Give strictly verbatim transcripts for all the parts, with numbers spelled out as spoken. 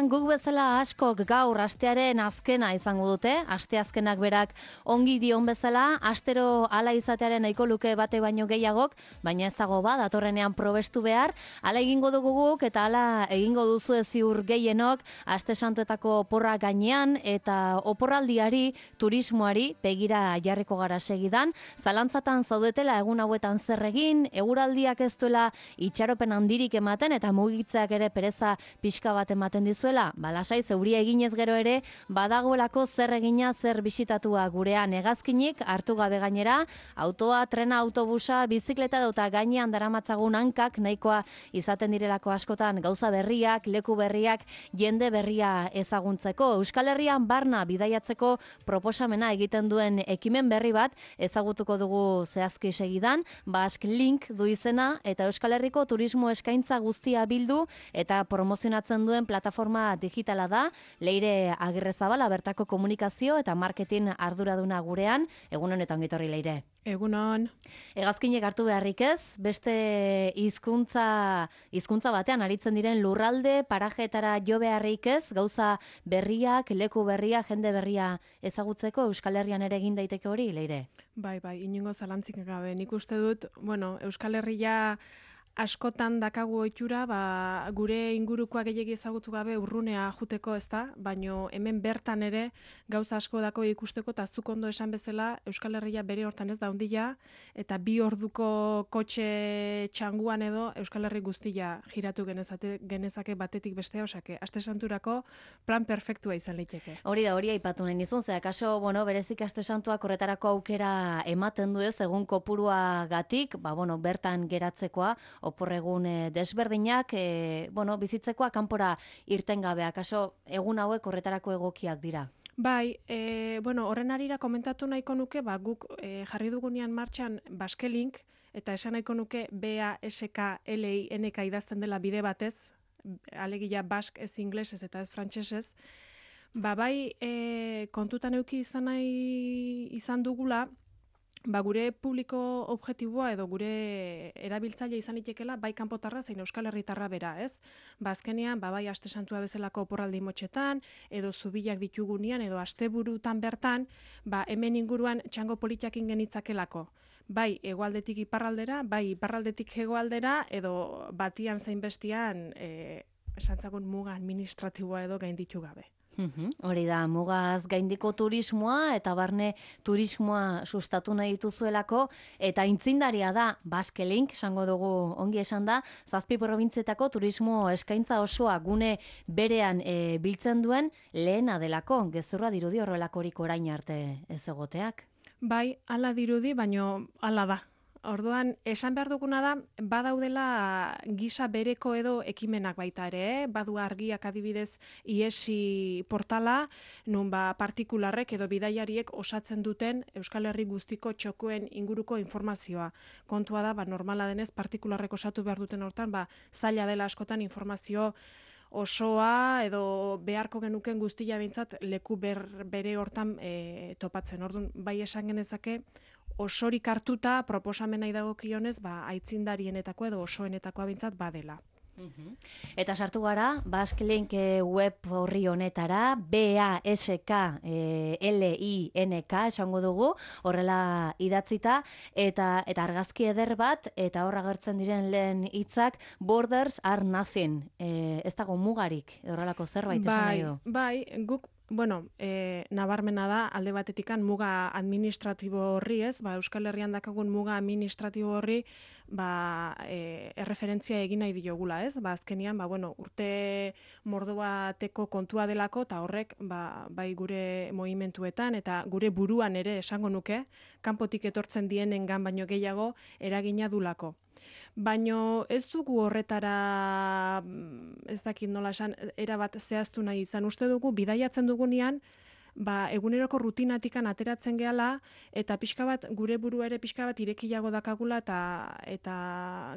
guk bezala askok gaur astearen azkena izango dute, aste azkenak berak ongi dion bezala, astero hala izatearen nahiko luke bate baino gehiagok, baina ez dago ba, datorrenean probestu behar, hala egingo dugu guk eta hala egingo duzu ziur gehienok, aste santuetako oporra gainean eta oporraldiari, turismoari begira jarriko gara segidan, zalantzatan zaudetela egun hauetan zer egin, eguraldiak ez duela itxaropen handirik ematen eta mugitzeak ere pereza pixka bat ematen dizuela, ba lasai zeuria eginez gero ere badagoelako zer egina zer bisitatua gurean hegazkinik hartu gabe gainera, autoa, trena, autobusa, bizikleta eta gainean daramatzagun hankak nahikoa izaten direlako askotan gauza berriak, leku berriak, jende berria ezaguntzeko. Euskal Herrian barna bidaiatzeko proposamena egiten duen ekimen berri bat ezagutuko dugu zehazki segidan, Basque Link du izena eta Euskal Herriko turismo eskaintza guztia bildu eta promozionatzen duen plataforma digitala da. Leire Agirrezabala bertako komunikazio eta marketing arduraduna gurean. Egun honetan gitorri Leire. Egunon. Hegazkinek hartu beharrik ez, beste hizkuntza hizkuntza batean aritzen diren lurralde, parajeetara jo beharrik ez, gauza berriak, leku berria, jende berria ezagutzeko Euskal Herrian ere egin daiteke hori, Leire? Bai, bai, inongo zalantzik gabe. Nik uste dut, bueno, Euskal Herria askotan dakagu ohitura, ba, gure ingurukoa gehiegi ezagutu gabe urrunea juteko, ezta, baino hemen bertan ere gauza asko dako ikusteko eta zuk ondo esan bezala Euskal Herria bere hortan ez da handia eta bi orduko kotxe txanguan edo Euskal Herri guztia giratu genezate, genezake batetik bestea, osake, aste santurako plan perfektua izan liteke. Hori da, hori aipatu nahi nizun, ze akaso, bueno, berezik aste santuak horretarako aukera ematen du ez, egun kopurua gatik, ba, bueno, bertan geratzekoa, oporregun e, desberdinak, e, bueno, bizitzekoa kanpora irten gabe, akaso egun hauek horretarako egokiak dira. Bai, e, bueno, horren arira komentatu nahiko nuke, ba, guk e, jarri dugunean martxan Basque Link, eta esan nahiko nuke B A S K L I N K idazten dela bide batez, alegia Basque ez inglesez eta ez frantsesez, ba, bai e, kontutan euki izan nahi izan dugula, ba, gure publiko objektiboa edo gure erabiltzaile izan itekela bai kanpotarra zein Euskal Herritarra bera, ez? Ba, azkenean, ba, bai aste santua bezalako oporraldi motxetan, edo zubilak ditugunean, edo asteburutan bertan, ba, hemen inguruan txango politiakin genitzakelako. Bai hegoaldetik iparraldera, bai iparraldetik hegoaldera, edo batian zein bestian, e, esantzagun muga administratiboa edo gainditu gabe. Uhum, hori da, mugaz gaindiko turismoa eta barne turismoa sustatu nahi dituzuelako eta intzindaria da Basque Link, esango dugu ongi esan da, zazpi probintzietako turismo eskaintza osoa gune berean e, biltzen duen lehena delako, gezurra dirudi horrelakorik orain arte ez egoteak. Bai, hala dirudi, baino hala da. Orduan, esan behar duguna da, badaudela gisa bereko edo ekimenak baita ere, eh? Badu argiak adibidez iesi portala, nun ba partikularrek edo bidaiariek osatzen duten Euskal Herri guztiko txokoen inguruko informazioa. Kontua da, ba, normala denez, partikularrek osatu behar duten hortan, ba, zaila dela askotan informazio osoa edo beharko genuken guztia behintzat leku ber, bere hortan e, topatzen. Orduan, bai esan genezake, osorik hartuta proposamena idagokionez, ba, aitzindarienetako edo osoenetakoa behintzat badela. Uhum. Eta sartu gara, Basque Link web horri honetara, B A S K L I N K esango dugu, horrela idatzita, eta eta argazki eder bat, eta horra agertzen diren lehen hitzak, borders are nothing, e, ez dago mugarik, horrelako zerbait esan nahi du. Bai, guk bueno, e, nabarmena da, alde batetikan muga administratibo horri, ez? Ba, Euskal Herrian dakagun muga administratibo horri, ba, e, erreferentzia egin nahi diogula, ez? Ba, azkenian, ba, bueno, urte mordo bateko kontua delako, eta horrek, ba, bai gure movimentuetan, eta gure buruan ere esango nuke, kanpotik etortzen dienengan baino gehiago eragina dulako. Baino ez dugu horretara, ez dakit nola esan, erabat zehaztu nahi izan. Uste dugu, bidaiatzen dugunean, ba, eguneroko rutinatikan ateratzen gehala, eta pixka bat, gure burua ere pixka bat irekiago dakagula, eta, eta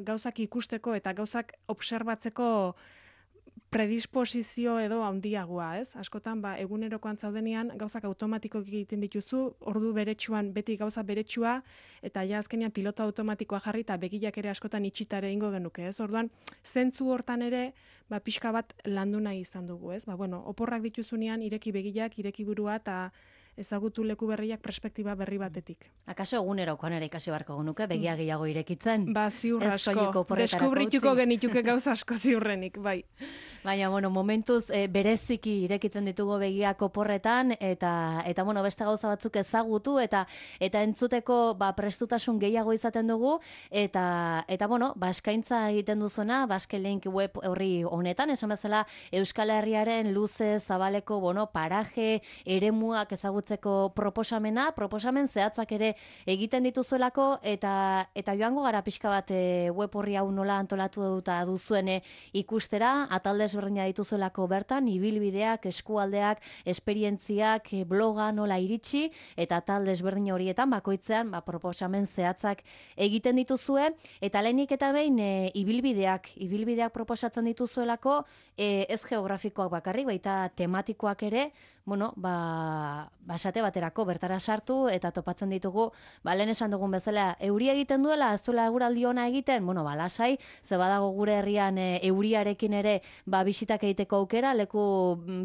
gauzak ikusteko, eta gauzak obserbatzeko predisposizio edo handiagoa, ez? Askotan, ba, egunerokoan zaudenean, gauzak automatikoak egiten dituzu, ordu beretsuan beti gauza beretsua, eta ja azkenean pilota automatikoa jarri, eta begiak ere askotan itxitare ingo genuke, ez? Orduan, zentzu hortan ere, ba, pixka bat landu nahi izan dugu, ez? Ba, bueno, oporrak dituzunean, ireki begiak, ireki burua, eta ezagutu leku berriak perspektiba berri batetik. Akaso egunerokoan ere ikasi beharko genuke, begia gehiago irekitzen? Ba, ziur asko, deskubrituko genituke gauza asko ziurrenik, bai. Baina, bueno, momentuz e, bereziki irekitzen ditugu begiak oporretan, eta, eta bueno, beste gauza batzuk ezagutu, eta eta entzuteko ba, prestutasun gehiago izaten dugu, eta, eta bueno, ba, eskaintza egiten duzuena, Basque Link web horri honetan, esan bezala Euskal Herriaren luze, zabaleko, bueno, paraje, eremuak ezagutzen proposamena, proposamen zehatzak ere egiten dituzuelako, eta eta joango gara pixka bat e, web horri hau nola antolatu duta duzuen e, ikustera, atalde ezberdina dituzuelako bertan, ibilbideak, eskualdeak, esperientziak, e, bloga nola iritsi, eta atalde ezberdin horietan, bakoitzean, ba, proposamen zehatzak egiten dituzue, eta lehenik eta behin e, ibilbideak, ibilbideak proposatzen dituzuelako, e, ez geografikoak bakarrik, baita tematikoak ere, bueno, ba, basate baterako bertara sartu eta topatzen ditugu, ba, lehen esan dugun bezala, euri egiten duela, ez duela eguraldi ona egiten, bueno, ba, lasai, ze badago gure herrian e, euriarekin ere, ba, bisitak egiteko aukera, leku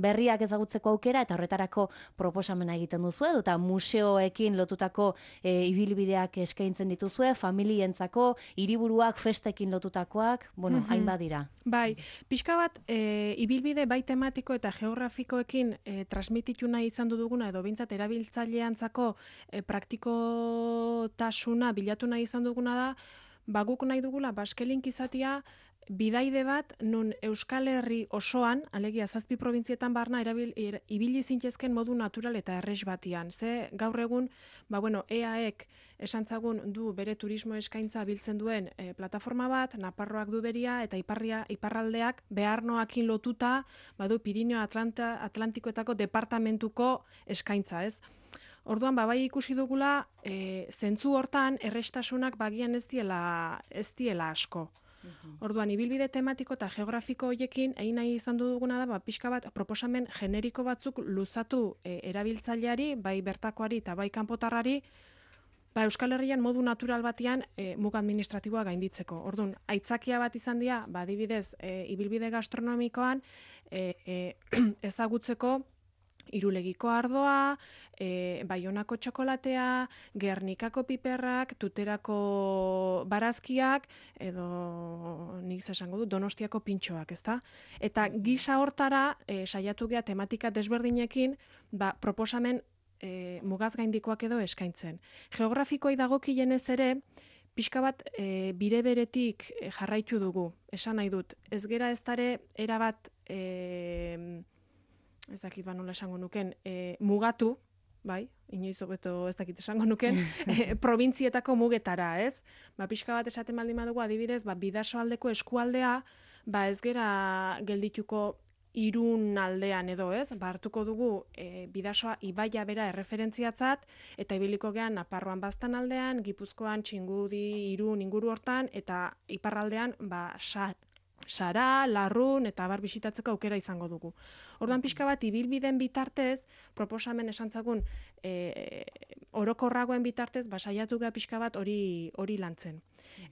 berriak ezagutzeko aukera, eta horretarako proposamena egiten duzue, eta museoekin lotutako e, ibilbideak eskaintzen dituzue, familientzako, hiriburuak, festekin lotutakoak, bueno, Mhm. hainbat dira. Bai, pixka bat, e, ibilbide bai tematiko eta geografikoekin e, transmititu nahi izan duguna, edo bintzat erabiltzaileantzako e, praktikotasuna bilatu nahi izan duguna da, ba guk nahi dugula Basque Link izatea bidaide bat nun Euskal Herri osoan, alegia zazpi probintzietan barna erabil, er, ibili zintezken modu natural eta erres batian. Ze gaur egun, ba bueno, E A ek esantzagun du bere turismo eskaintza biltzen duen e, plataforma bat, Nafarroak du beria eta iparria, iparraldeak beharnoakin lotuta, badu Pirineo Atlanta, Atlantikoetako departamentuko eskaintza, ez? Orduan, babai ikusi dugula, e, zentzu hortan errestasunak bagian ez diela, ez diela asko. Orduan, ibilbide tematiko eta geografiko hoiekin, egin nahi izan duguna da, ba, pixka bat proposamen generiko batzuk luzatu e, erabiltzaileari, bai bertakoari eta bai kanpotarrari, ba, Euskal Herrian modu natural batean e, muga administratiboa gainditzeko. Orduan, aitzakia bat izan dira, ba, adibidez, e, ibilbide gastronomikoan e, e, ezagutzeko Irulegiko ardoa, e, Baionako txokolatea, Gernikako piperrak, Tuterako barazkiak, edo nik esango dut Donostiako pintxoak, ezta? Eta gisa hortara e, saiatu gea tematika desberdinekin, ba, proposamen e, mugaz gaindikoak edo eskaintzen. Geografikoei dagokienez ere, pixka bat e, bire beretik e, jarraitu dugu, esan nahi dut. Ez gera ez dare erabat e, ez dakit ba nola esango nuken, e, mugatu, bai, inoiz hobeto ez dakit esango nuken, e, probintzietako mugetara, ez? Ba, pixka bat esaten baldin badugu, adibidez, ba, bidasoaldeko eskualdea, ba, ez gera geldituko Irun aldean edo, ez? Ba, hartuko dugu e, bidasoa ibaia bera erreferentziatzat, eta ibiliko gean Nafarroan Baztan aldean, Gipuzkoan, Txingudi, Irun, inguru hortan, eta iparraldean, ba, sa, Sara, Larrun eta bar bisitatzeko aukera izango dugu. Orduan pixka bat ibilbideen bitartez, proposamen esantzagun e, orokorragoen bitartez, ba, saiatu gea pixka bat hori hori lantzen.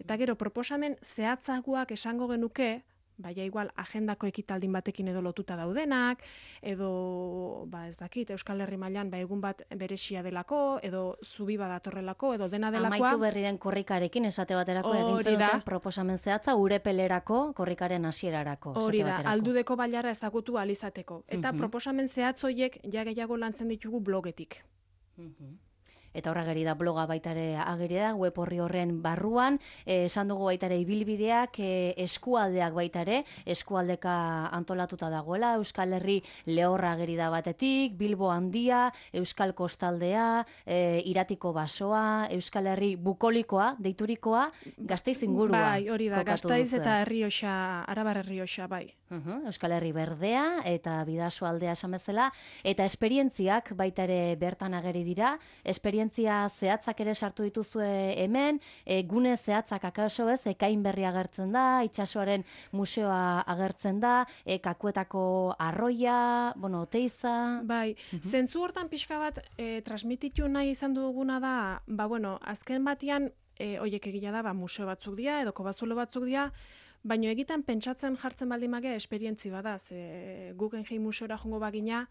Eta gero proposamen zehatzagoak esango genuke, baina igual agendako ekitaldin batekin edo lotuta daudenak, edo ba ez dakit Euskal Herri mailan ba egun bat beresia delako, edo zubi badatorrelako, edo dena delakoa. Amaitu berri den korrikarekin esate baterako egintzen duten proposamen zehatza urepelerako korrikaren hasierarako. Hori da, aldudeko bailara ezagutu alizateko. Eta uh-huh. proposamen zehatzoiek ja gehiago lantzen ditugu blogetik. Uh-huh. Eta horra geri da bloga baitare ageri da, web horri horren barruan, eh, esan dugu baitare ibilbideak, eh, eskualdeak baitare, eskualdeka antolatuta dagoela, Euskal Herri lehorra ageri da batetik, Bilbo handia, Euskal Kostaldea, eh, Iratiko basoa, Euskal Herri bukolikoa, deiturikoa, Gasteiz ingurua. Bai, hori da, Gasteiz eta Errioxa, Arabar Errioxa, bai. Uhum, Euskal Herri berdea eta Bidasoa aldea esan bezala, eta esperientziak baita ere bertan ageri dira, esperientzia zehatzak ere sartu dituzue hemen, e, gune zehatzak akaso ez, ekain berri agertzen da, itsasoaren museoa agertzen da, e, kakuetako arroia, bueno, oteiza... Bai, Uhum. zentzu hortan pixka bat e, transmititu nahi izan duguna da, ba bueno, azken batian, e, oiek egila da, ba, museo batzuk dira, edo kobazulo batzuk dira, baina egiten pentsatzen jartzen baldin mage esperientzi bada, ze Guggenheim museora jongo bagina,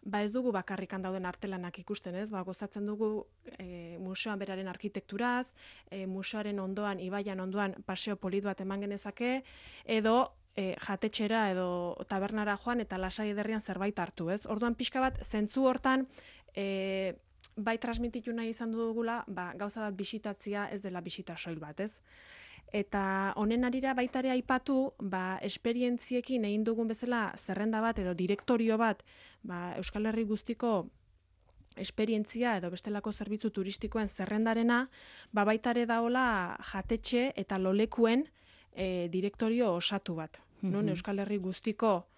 ba ez dugu bakarrikan dauden artelanak ikusten, ez? Ba gozatzen dugu e, museoan beraren arkitekturaz, e, museoaren ondoan, ibaian ondoan paseo polit bat eman genezake, edo e, jatetxera edo tabernara joan eta lasai ederrian zerbait hartu, ez? Orduan pixka bat zentzu hortan e, bai transmititu nahi izan dugula, ba gauza bat bisitatzia ez dela bisita soil bat, ez? Eta honen arira baita ere aipatu, ba, esperientziekin egin dugun bezala zerrenda bat edo direktorio bat, ba, Euskal Herri guztiko esperientzia edo bestelako zerbitzu turistikoen zerrendarena, ba, baita ere daola jatetxe eta lolekuen e, direktorio osatu bat. Mm-hmm. Non Euskal Herri guztiko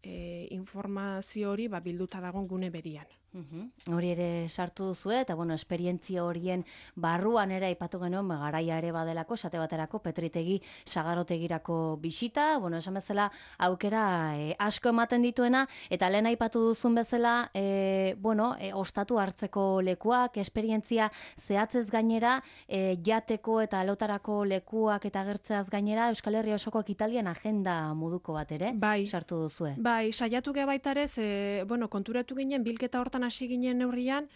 e, informazio hori ba, bilduta dagon gune berian. Uhum. Hori ere sartu duzue, eta bueno, esperientzia horien barruan ere aipatu genuen, ba, garaia ere badelako, esate baterako, Petritegi sagarotegirako bisita, bueno, esan bezala aukera e, asko ematen dituena, eta lehen aipatu duzun bezala, e, bueno, e, ostatu hartzeko lekuak, esperientzia zehatzez gainera, e, jateko eta lotarako lekuak eta gertzeaz gainera, Euskal Herria osoko Italian agenda moduko bat ere, bai, sartu duzue. Bai, saiatu geha baita ere, ze, bueno, konturatu ginen, bilketa hortan hasi ginen neurrian,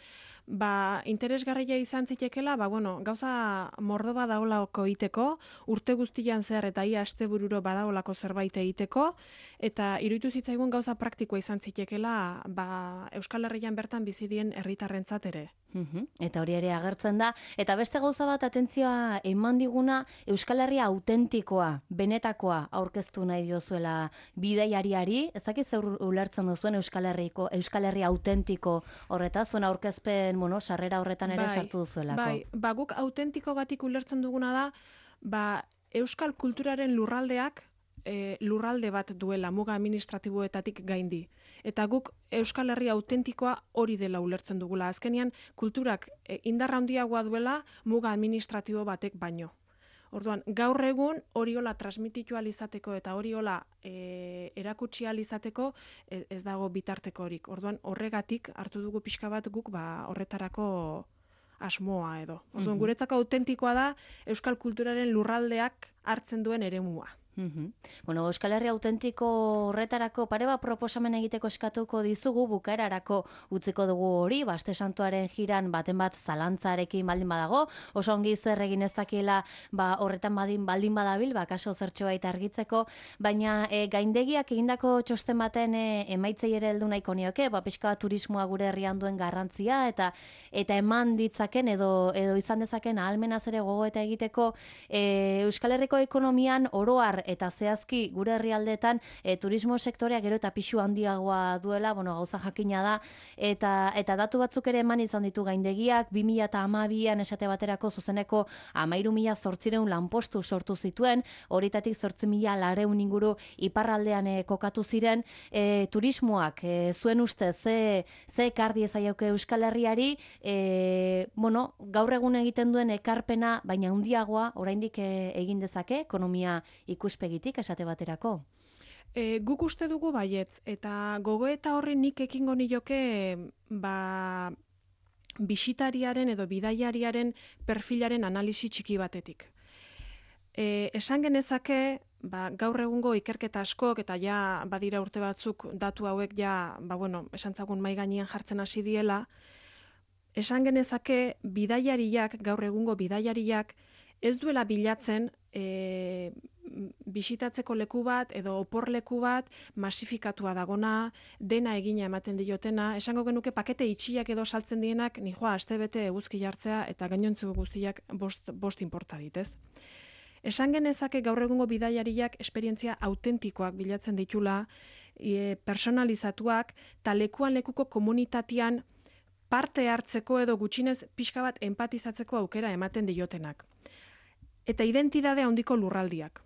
ba, interesgarria izan zitekela, ba, bueno, gauza mordo badaolako egiteko, urte guztian zehar eta ia astebururo badaolako zerbait egiteko, eta iruditu zitzaigun gauza praktikoa izan zitekela, ba, Euskal Herrian bertan bizidien herritarrentzat ere. Uhum. Eta hori ere agertzen da, eta beste gauza bat atentzioa eman diguna Euskal Herria autentikoa, benetakoa aurkeztu nahi diozuela bidaiariari, ezaki zer ulertzen duzuen Euskal Herriko, Euskal Herria autentiko horretaz, zuen aurkezpen, bueno, sarrera horretan ere bai, sartu duzuelako. Bai, ba, guk autentikogatik ulertzen duguna da, ba, Euskal kulturaren lurraldeak e, lurralde bat duela muga administratiboetatik gaindi. Eta guk Euskal Herria autentikoa hori dela ulertzen dugula. Azkenean kulturak e, indarra handiagoa duela muga administratibo batek baino. Orduan, gaur egun hori hola transmititu alizateko eta hori hola e, erakutsi alizateko ez, ez dago bitarteko horik. Orduan, horregatik hartu dugu pixka bat guk ba, horretarako asmoa edo. Orduan, mm-hmm. guretzako autentikoa da Euskal kulturaren lurraldeak hartzen duen eremua. Mm-hmm. Bueno, Euskal Herria autentiko horretarako pare bat proposamen egiteko eskatuko dizugu, bukaerarako utziko dugu hori, Baste Santuaren jiran baten bat zalantzarekin baldin badago, oso ongi zer egin ezakiela ba, horretan badin baldin badabil, ba, kaso zertxo baita argitzeko, baina e, gaindegiak egindako txosten baten e, emaitzei ere heldu nahiko nioke, ba, pixka bat turismoa gure herrian duen garrantzia, eta eta eman ditzaken edo, edo izan dezaken ahalmenaz ere gogoeta egiteko e, Euskal Herriko ekonomian oroar eta zehazki gure herrialdeetan e, turismo sektorea gero eta pixu handiagoa duela, bueno, gauza jakina da, eta eta datu batzuk ere eman izan ditu gaindegiak, bi mila hamabian esate baterako zuzeneko hamairu mila zortziehun lanpostu sortu zituen, horitatik zortzi mila laurehun inguru iparraldean e, kokatu ziren, e, turismoak e, zuen ustez ze, ze ekardi ezaiauke Euskal Herriari, e, bueno, gaur egun egiten duen ekarpena, baina handiagoa oraindik e, egin dezake, ekonomia ikuspegitik esate baterako. E, guk uste dugu baietz, eta gogoeta horri nik ekingo nioke ba, bisitariaren edo bidaiariaren perfilaren analisi txiki batetik. E, esan genezake, ba, gaur egungo ikerketa askok, eta ja badira urte batzuk datu hauek ja, ba, bueno, esan zagun mai gainean jartzen hasi diela, esan genezake bidaiariak, gaur egungo bidaiariak, ez duela bilatzen e, bisitatzeko leku bat edo oporleku bat masifikatua dagona, dena egina ematen diotena, esango genuke pakete itxiak edo saltzen dienak, nijoa astebete eguzki jartzea eta gainontzu guztiak bost, bost inporta ditez. Esan genezake gaur egungo bidaiariak esperientzia autentikoak bilatzen ditula, e, personalizatuak, eta lekuan lekuko komunitatean parte hartzeko edo gutxinez pixka bat empatizatzeko aukera ematen diotenak. Eta identidade handiko lurraldiak.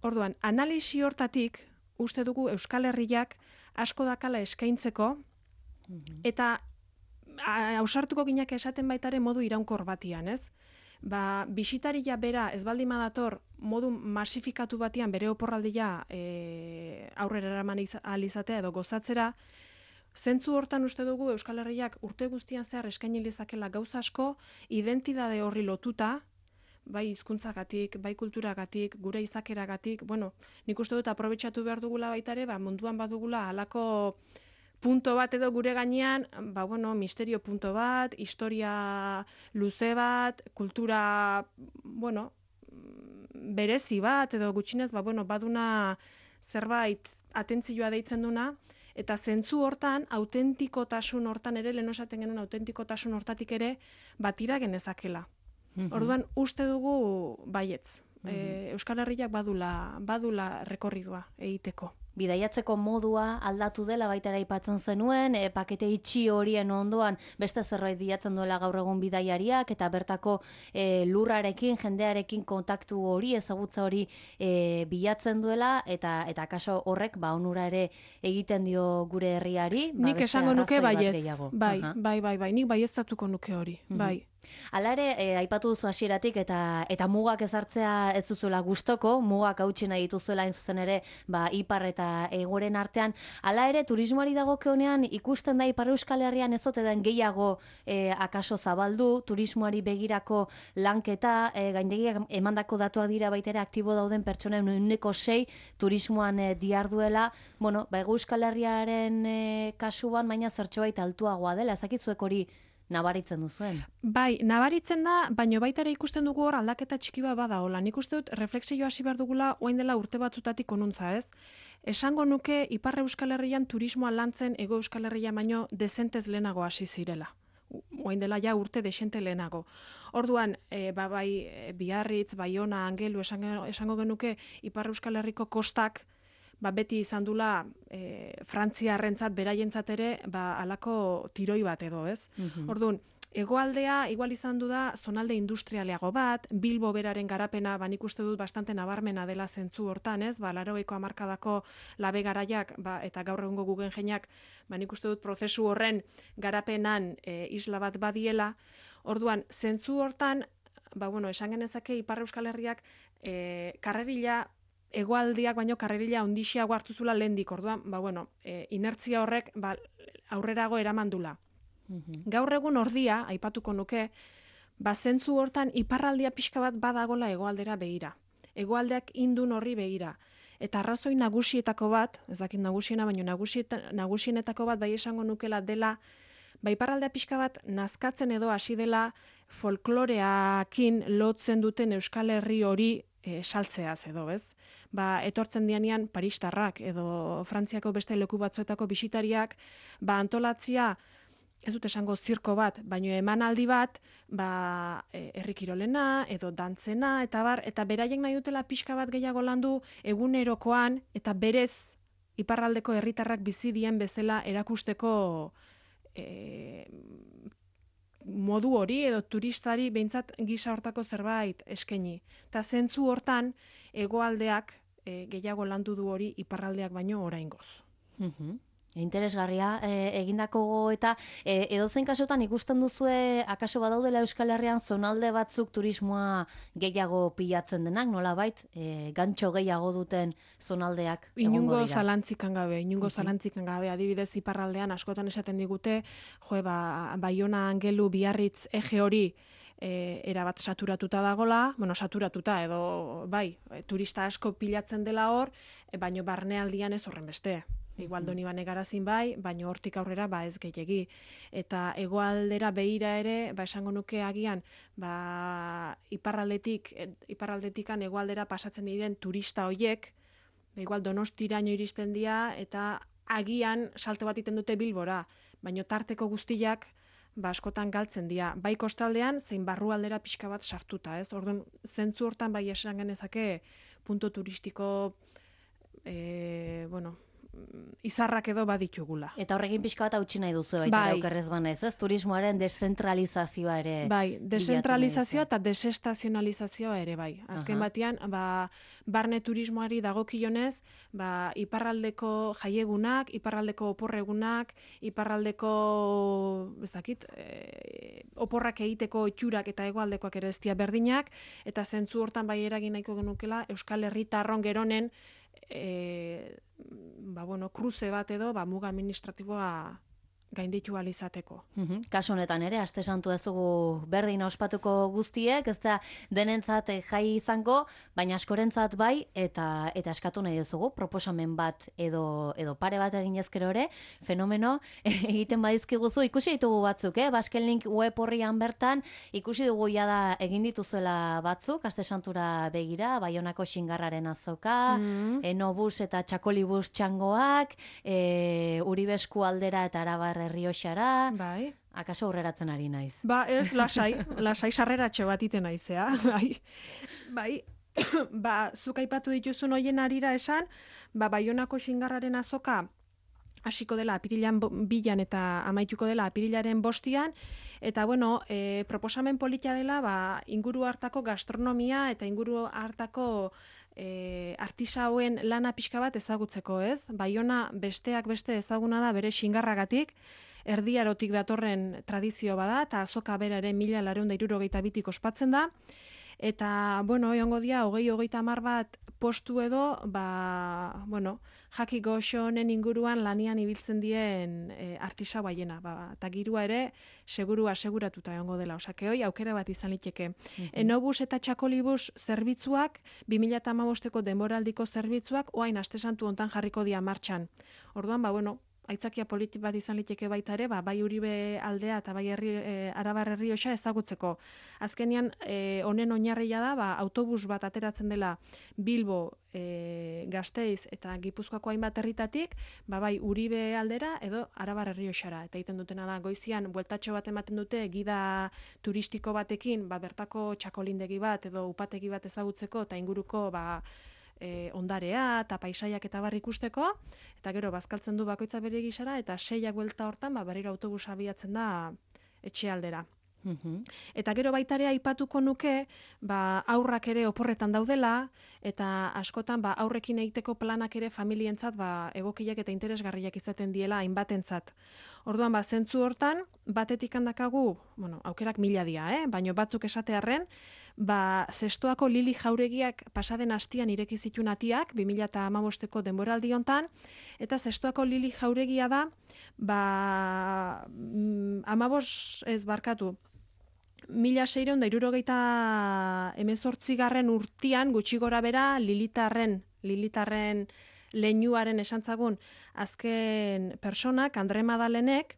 Orduan, analisi hortatik, uste dugu Euskal Herriak asko dakala eskaintzeko, eta ausartuko ginak esaten baitare modu iraunkor batian, ez? Ba, bisitaria bera ez baldin badator modu masifikatu batian bere oporraldia e, aurrera eraman ahal izatea edo gozatzera, zentzu hortan uste dugu Euskal Herriak urte guztian zehar eskaini lezakela gauza asko, identitate horri lotuta, bai hizkuntzagatik, bai kulturagatik, gure izakeragatik, bueno, nik uste dut aprobetxatu behar dugula baitare, ba, munduan badugula halako punto bat edo gure gainean, ba, bueno, misterio punto bat, historia luze bat, kultura, bueno, berezi bat, edo gutxinez, ba, bueno, baduna zerbait atentzioa deitzen duna, eta zentzu hortan, autentikotasun hortan ere, lehen esaten genuen autentikotasun hortatik ere, batira genezakela. Orduan, uste dugu baietz. E, Euskal Herriak badula, badula rekorridua egiteko. Bidaiatzeko modua aldatu dela baita aipatzen zenuen, e, pakete itxi horien ondoan beste zerbait bilatzen duela gaur egun bidaiariak, eta bertako e, lurrarekin, jendearekin kontaktu hori, ezagutza hori e, bilatzen duela, eta eta kaso horrek ba onura ere egiten dio gure herriari. Ba, nik esango nuke baietz, bai, bai, bai, bai, nik baieztatuko nuke hori, bai. Hala ere, e, aipatu duzu hasieratik eta eta mugak ezartzea ez duzuela gustoko, mugak hautsi nahi dituzuela hain zuzen ere, ba ipar eta hegoren artean. Hala ere, turismoari dagokionean ikusten da Ipar Euskal Herrian ez ote den gehiago e, akaso zabaldu, turismoari begirako lanketa, e, gaindegiak emandako datuak dira baita ere aktibo dauden pertsonen ehuneko sei turismoan e, diharduela. Bueno, ba Hego Euskal Herriaren e, kasuan baina zertxobait altuagoa dela, ezakizuek hori nabaritzen duzuen. Bai, nabaritzen da, baino baita ere ikusten dugu hor aldaketa txiki bat bada hola. Nik uste dut reflexioa hasi behar dugula orain dela urte batzutatik onuntza, ez? Esango nuke Ipar Euskal Herrian turismoa lantzen Hego Euskal Herria baino dezentez lehenago hasi zirela. Orain dela ja urte desente lehenago. Orduan, e, ba, bai Biarritz, Baiona, Angelu esango, esango genuke Ipar Euskal Herriko kostak ba, beti izan dula e, Frantziarrentzat beraientzat ere ba, alako tiroi bat edo, ez? Mm-hmm. Orduan, hegoaldea igual izan du da zonalde industrialeago bat, Bilbo beraren garapena, ba, nik uste dut bastante nabarmena dela zentzu hortan, ez? Ba, laurogeiko hamarkadako labe garaiak ba, eta gaur egungo Guggenheimak, ba, nik uste dut prozesu horren garapenan e, isla bat badiela. Orduan, zentzu hortan, ba, bueno, esan genezake Ipar Euskal Herriak e, karrerila hegoaldiak baino karrerila ondixiago hartu zula lehendik, orduan, ba, bueno, e, inertzia horrek ba, aurrerago eramandula. Mm-hmm. Gaur egun ordia, aipatuko nuke, ba, zentzu hortan iparraldia pixka bat badagola hegoaldera begira. Hegoaldeak indun horri begira. Eta arrazoi nagusietako bat, ez dakit nagusiena, baino nagusienetako bat bai esango nukela dela, ba, iparraldea pixka bat nazkatzen edo hasi dela folkloreakin lotzen duten Euskal Herri hori e, saltzeaz edo, ez? Ba, etortzen dianean paristarrak edo Frantziako beste leku batzuetako bisitariak, ba, antolatzia, ez dut esango zirko bat, baino emanaldi bat, ba, herri kirolena edo dantzena, eta bar, eta beraiek nahi dutela pixka bat gehiago landu egunerokoan, eta berez iparraldeko herritarrak bizi dien bezala erakusteko e, modu hori edo turistari behintzat gisa hortako zerbait eskaini. Eta zentzu hortan, hegoaldeak e, gehiago landu du hori iparraldeak baino oraingoz. Mhm. Interesgarria e, egindako eta e, edozein kasutan ikusten duzue akaso badaudela Euskal Herrian zonalde batzuk turismoa gehiago pilatzen denak, nolabait e, gantxo gehiago duten zonaldeak egongo dira. Inungo zalantzikan gabe, inungo uh-huh. zalantzikan gabe, adibidez iparraldean askotan esaten digute, jo, ba, Baiona, Angelu, Biarritz, ege hori E, erabat saturatuta dagola, bueno, saturatuta edo, bai, turista asko pilatzen dela hor, e, baino barnealdian ez horren beste. Igual doni bane garazin bai, baino hortik aurrera ba ez gehiegi. Eta hegoaldera begira ere, ba esango nuke agian, ba iparraldetik, iparraldetikan hegoaldera pasatzen diren turista hoiek, ba igual Donostiraino iristen dira eta agian salto bat egiten dute Bilbora, baino tarteko guztiak ba askotan galtzen dira, bai kostaldean zein barrualdera pixka bat sartuta, ez? Orduan, zentzu hortan bai esan genezake punto turistiko e, bueno, izarrak edo baditugula. Eta horrekin pixka bat hautsi nahi duzu baita Bai. okerrez banez, ez? Turismoaren deszentralizazioa ere. Bai, bilatu nahi deszentralizazioa duzu. eta desestazionalizazioa ere bai. Azken Aha. batean, ba, barne turismoari dagokionez, ba, iparraldeko jaiegunak, iparraldeko oporregunak, iparraldeko, ez dakit, e, oporrak egiteko itxurak eta hegoaldekoak ere ez dira berdinak, eta zentzu hortan bai eragin nahiko genukela Euskal Herritarron geronen e, ba, bueno, kruze bat edo ba, muga administratiboa gainditu ahal izateko. Mhm. Kasu honetan ere, aste santu ez dugu berdin ospatuko guztiek, ez da denentzat eh, jai izango, baina askorentzat bai, eta eta eskatu nahi duzugu, proposamen bat edo edo pare bat egin ezkero ere, fenomeno egiten badizkiguzu, ikusi ditugu batzuk, eh? Baskelink web horrian bertan, ikusi dugu jada egin dituzuela batzuk, aste santura begira, Baionako Xingarraren azoka, Mm. Enobus eta Txakolibus txangoak, e, Uribesku aldera eta Arabar Errioxara, Bai. akaso aurreratzen ari naiz. Ba, ez, lasai, lasai sarreratxo bat iten naizea, bai. Bai, ba, zuk aipatu dituzun hoien arira esan, ba, Baionako Xingarraren azoka hasiko dela apirilan bo- bilan eta amaituko dela apirilaren bostian, eta bueno, e, proposamen polita dela, ba, inguru hartako gastronomia eta inguru hartako e, artisauen lana pixka bat ezagutzeko, ez? Baiona besteak beste ezaguna da bere xingarragatik, Erdi Arotik datorren tradizio bada, eta azoka bera ere mila laurehun eta hirurogeita bitik ospatzen da. Eta, bueno, egongo dira, hogei hogeita hamar bat postu edo, ba, bueno, jaki goxo honen inguruan lanian ibiltzen dien e, artisau haiena. Ba, eta girua ere, seguru aseguratuta egongo dela. Osake, hoi, aukera bat izan liteke. Enobus eta Txakolibus zerbitzuak, bi mila hamabosteko denboraldiko zerbitzuak, oain aste santu hontan jarriko dira martxan. Orduan, ba, bueno, aitzakia politi bat izan liteke baita ere, ba, bai Uribe aldea eta bai herri, e, Arabar Errioxa ezagutzeko. Azkenean, e, honen oinarria da, ba, autobus bat ateratzen dela Bilbo, e, Gasteiz eta Gipuzkoako hainbat herritatik, ba, bai Uribe aldera edo Arabar Errioxara. Eta egiten dutena da, goizian, bueltatxo bat ematen dute, gida turistiko batekin, ba, bertako txakolindegi bat edo upategi bat ezagutzeko eta inguruko, ba, E, ondarea eta paisaiak eta bar ikusteko, eta gero bazkaltzen du bakoitza bere gisara, eta seiak buelta hortan ba, berriro autobusa abiatzen da etxe aldera. Mhm. Eta gero baita ere aipatuko nuke, ba, aurrak ere oporretan daudela, eta askotan ba, aurrekin egiteko planak ere familientzat ba, egokiak eta interesgarriak izaten diela hainbatentzat. Orduan, ba, zentzu hortan, batetik handakagu, bueno, aukerak mila dia, eh? Baina batzuk esatearren, ba, zestoako Lili Jauregiak pasaden astian ireki zituen atiak, bi mila hamabosteko denboraldi hontan, eta zestoako Lili Jauregia da, ba, mm, hamabos ez barkatu, mila seiehun eta hirurogeita hemezortzigarren urtian gutxi gora bera Lilitarren, Lilitarren leinuaren esantzagun azken personak, Andre Madalenek,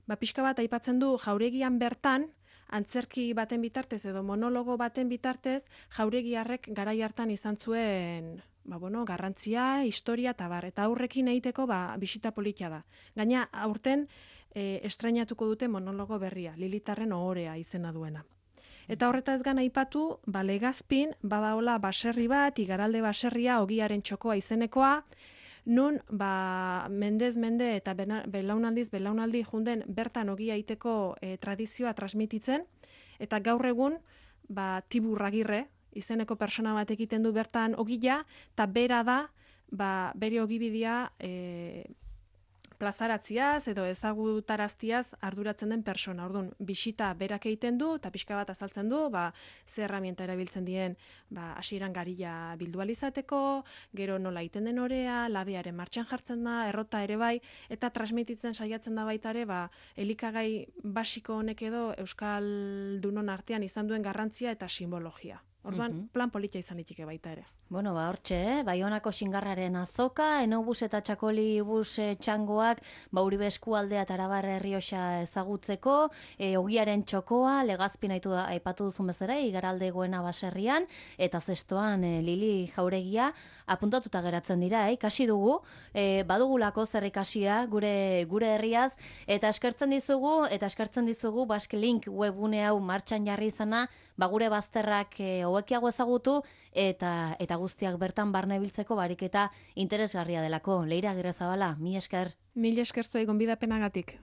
ba, pixka bat aipatzen du Jauregian bertan, antzerki baten bitartez edo monologo baten bitartez, Jauregiarrek garai hartan izan zuen ba, bueno, garrantzia, historia eta bar. Eta aurrekin egiteko ba, bisita politia da. Gaina aurten e, estrainatuko dute monologo berria, Lilitarren ohorea izena duena. Eta horretaz gana aipatu, ba, Legazpin badaola baserri bat, Igaralde baserria, Ogiaren txokoa izenekoa, nun ba, mendez mende eta bena, belaunaldiz belaunaldi junden bertan ogia egiteko e, tradizioa transmititzen, eta gaur egun ba, Tibur Agirre izeneko persona bat egiten du bertan ogia, eta bera da ba, bere ogibidea e, plazaratziaz edo ezagutaraztiaz arduratzen den persona. Orduan, bisita berak egiten du, eta pixka bat azaltzen du, ba, ze herramienta erabiltzen dien, ba, hasieran garia bildu ahal izateko, gero nola egiten den orea, labearen martxan jartzen da, errota ere bai, eta transmititzen saiatzen da baita ere, ba, elikagai basiko honek edo Euskaldunon artean izan duen garrantzia eta simbologia. Orduan, Mhm. plan politia izan liteke baita ere. Bueno, ba, hortxe, eh? Baionako Xingarraren azoka, Enobus eta Txakolibus eh, txangoak, ba, Uribe eskualdea eta Arabar Errioxa ezagutzeko, e, Ogiaren txokoa, Legazpin aitu, aipatu duzun bezala, Igaralde goena baserrian, eta zestoan e, Lili Jauregia, apuntatuta geratzen dira, eh? Ikasi dugu, e, badugulako zer ikasia gure, gure herriaz, eta eskertzen dizugu, eta eskertzen dizugu Basque Link webgune hau martxan jarri izana, ba, gure bazterrak e, hobekiago ezagutu eta eta guztiak bertan barne biltzeko bariketa interesgarria delako. Leira Agirrezabala, mi esker. Mil esker zuei gonbidapenagatik.